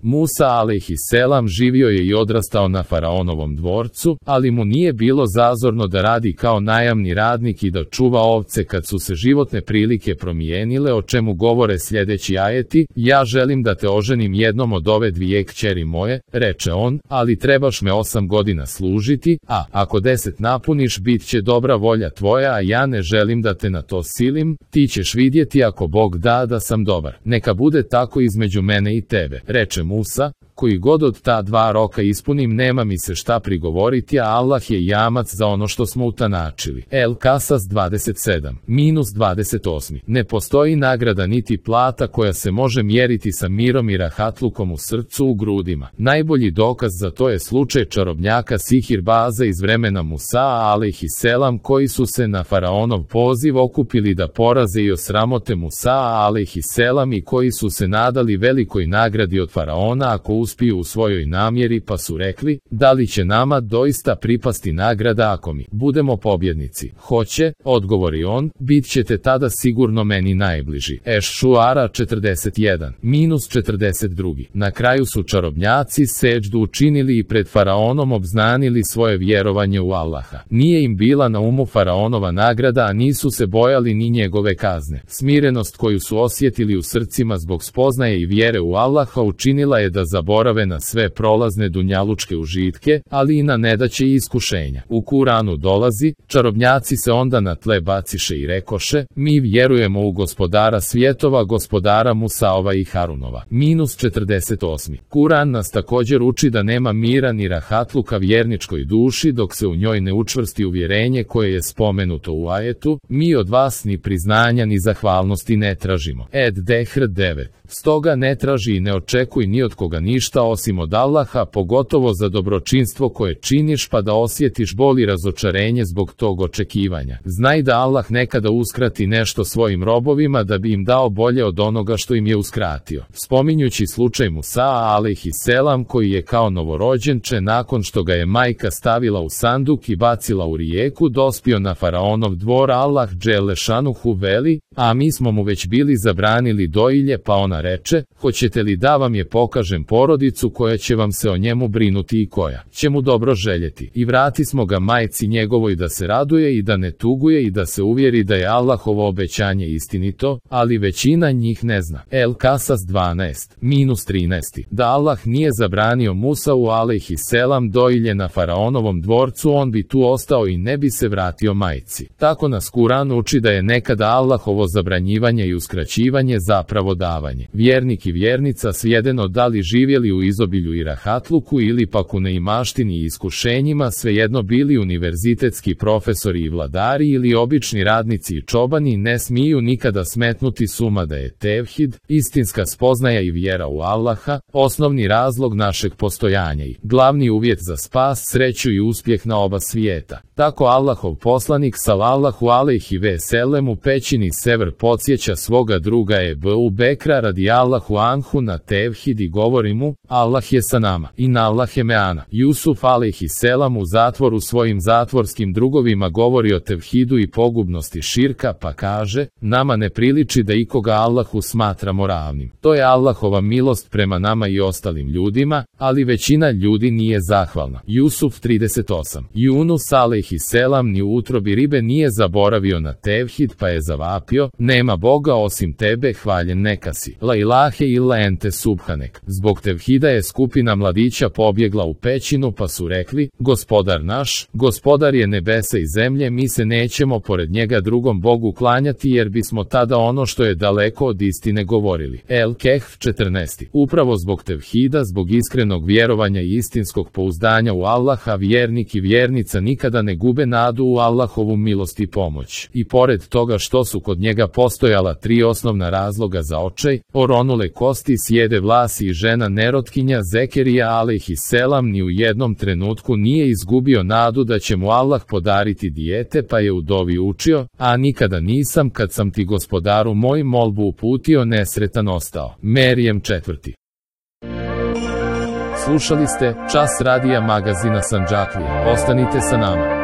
Musa alejhiselam živio je i odrastao na faraonovom dvorcu, ali mu nije bilo zazorno da radi kao najamni radnik i da čuva ovce kad su se životne prilike promijenile, o čemu govore sljedeći ajeti: ja želim da te oženim jednom od ove dvije kćeri moje, reče on, ali trebaš me 8 godina služiti, a ako 10 napuniš bit će dobra volja tvoja, a ja ne želim da te na to silim, ti ćeš vidjeti ako Bog da sam dobar. Neka bude tako između mene i tebe, reče Musa, koji god od ta 2 roka ispunim nema mi se šta prigovoriti, a Allah je jamac za ono što smo utanačili. El Kasas 27-28. Ne postoji nagrada niti plata koja se može mjeriti sa mirom i rahatlukom u srcu u grudima. Najbolji dokaz za to je slučaj čarobnjaka Sihirbaza iz vremena Musa alejhiselam, koji su se na faraonov poziv okupili da poraze i osramote Musa alejhiselam i koji su se nadali velikoj nagradi od faraona ako uspiju u svojoj namjeri, pa su rekli: da li će nama doista pripasti nagrada ako mi budemo pobjednici? Hoće, odgovori on, bit ćete tada sigurno meni najbliži. Eš-Šuara 41-42. Na kraju su čarobnjaci seđdu učinili i pred faraonom obznanili svoje vjerovanje u Allaha. Nije im bila na umu faraonova nagrada, a nisu se bojali ni njegove kazne. Smirenost koju su osjetili u srcima zbog spoznaje i vjere u Allaha učinila je da zaborave na sve prolazne dunjalučke užitke, ali i na nedaće i iskušenja. U Kuranu dolazi: čarobnjaci se onda na tle baciše i rekoše: mi vjerujemo u gospodara svjetova, gospodara Musaova i Harunova. -48. Kuran nas također uči da nema mira ni rahatluka vjerničkoj duši dok se u njoj ne učvrsti uvjerenje koje je spomenuto u ajetu: mi od vas ni priznanja ni zahvalnosti ne tražimo. Ed-Dehr 9. Stoga ne traži i ne očekuj ni od koga ništa osim od Allaha, pogotovo za dobročinstvo koje činiš, pa da osjetiš bol i razočarenje zbog tog očekivanja. Znaj da Allah nekada uskrati nešto svojim robovima da bi im dao bolje od onoga što im je uskratio. Spominjući slučaj Musa alejhiselam, koji je kao novorođenče nakon što ga je majka stavila u sanduk i bacila u rijeku dospio na faraonov dvor, Allah dželešanuhu veli: a mi smo mu već bili zabranili doilje, pa ona reče: hoćete li da vam je pokažem porodicu koja će vam se o njemu brinuti i koja će mu dobro željeti? I vrati smo ga majci njegovoj da se raduje i da ne tuguje i da se uvjeri da je Allahovo obećanje istinito, ali većina njih ne zna. El Kasas 12-13. Da Allah nije zabranio Musau alejhiselam doilje na faraonovom dvorcu, on bi tu ostao i ne bi se vratio majci. Tako nas Kuran uči da je nekada Allahovo zabranjivanje i uskraćivanje zapravo davanje. Vjernik i vjernica, svejedno da li živjeli u izobilju i rahatluku ili pak u neimaštini i iskušenjima, svejedno bili univerzitetski profesori i vladari ili obični radnici i čobani, ne smiju nikada smetnuti s uma da je tevhid, istinska spoznaja i vjera u Allaha, osnovni razlog našeg postojanja i glavni uvjet za spas, sreću i uspjeh na oba svijeta. Tako Allahov poslanik sallallahu alejhi ve sellem u pećini Sever podsjeća svoga druga Ebu Bekra radijallahu anhu na tevhid i govori mu: Allah je sa nama, inna Allahe me'ana. Jusuf alejhiselam u zatvoru svojim zatvorskim drugovima govori o tevhidu i pogubnosti širka, pa kaže: nama ne priliči da ikoga Allahu smatramo ravnim. To je Allahova milost prema nama i ostalim ljudima, ali većina ljudi nije zahvalna. Jusuf 38. Yunus alejhiselam ni u utrobi ribe nije zaboravio na tevhid, pa je zavapio: nema Boga osim tebe, hvaljen neka si. La ilahe illa ente subhanek. Zbog tevhida je skupina mladića pobjegla u pećinu, pa su rekli: gospodar naš, gospodar je nebesa i zemlje, mi se nećemo pored njega drugom Bogu klanjati, jer bismo tada ono što je daleko od istine govorili. El Kehf 14. Upravo zbog tevhida, zbog iskrenog vjerovanja i istinskog pouzdanja u Allaha, vjernik i vjernica nikada ne gube nadu u Allahovu milost i pomoć. I pored toga što su kod njega postojala 3 osnovna razloga za očaj: oronule kosti, sjede vlasi i žena nerotkinja, Zekerija alejhiselam ni u jednom trenutku nije izgubio nadu da će mu Allah podariti dijete, pa je u dovi učio: a nikada nisam, kad sam ti gospodaru moj molbu uputio, nesretan ostao. Merijem 4. Slušali ste Čas radija magazina Sandžaklija. Ostanite sa nama.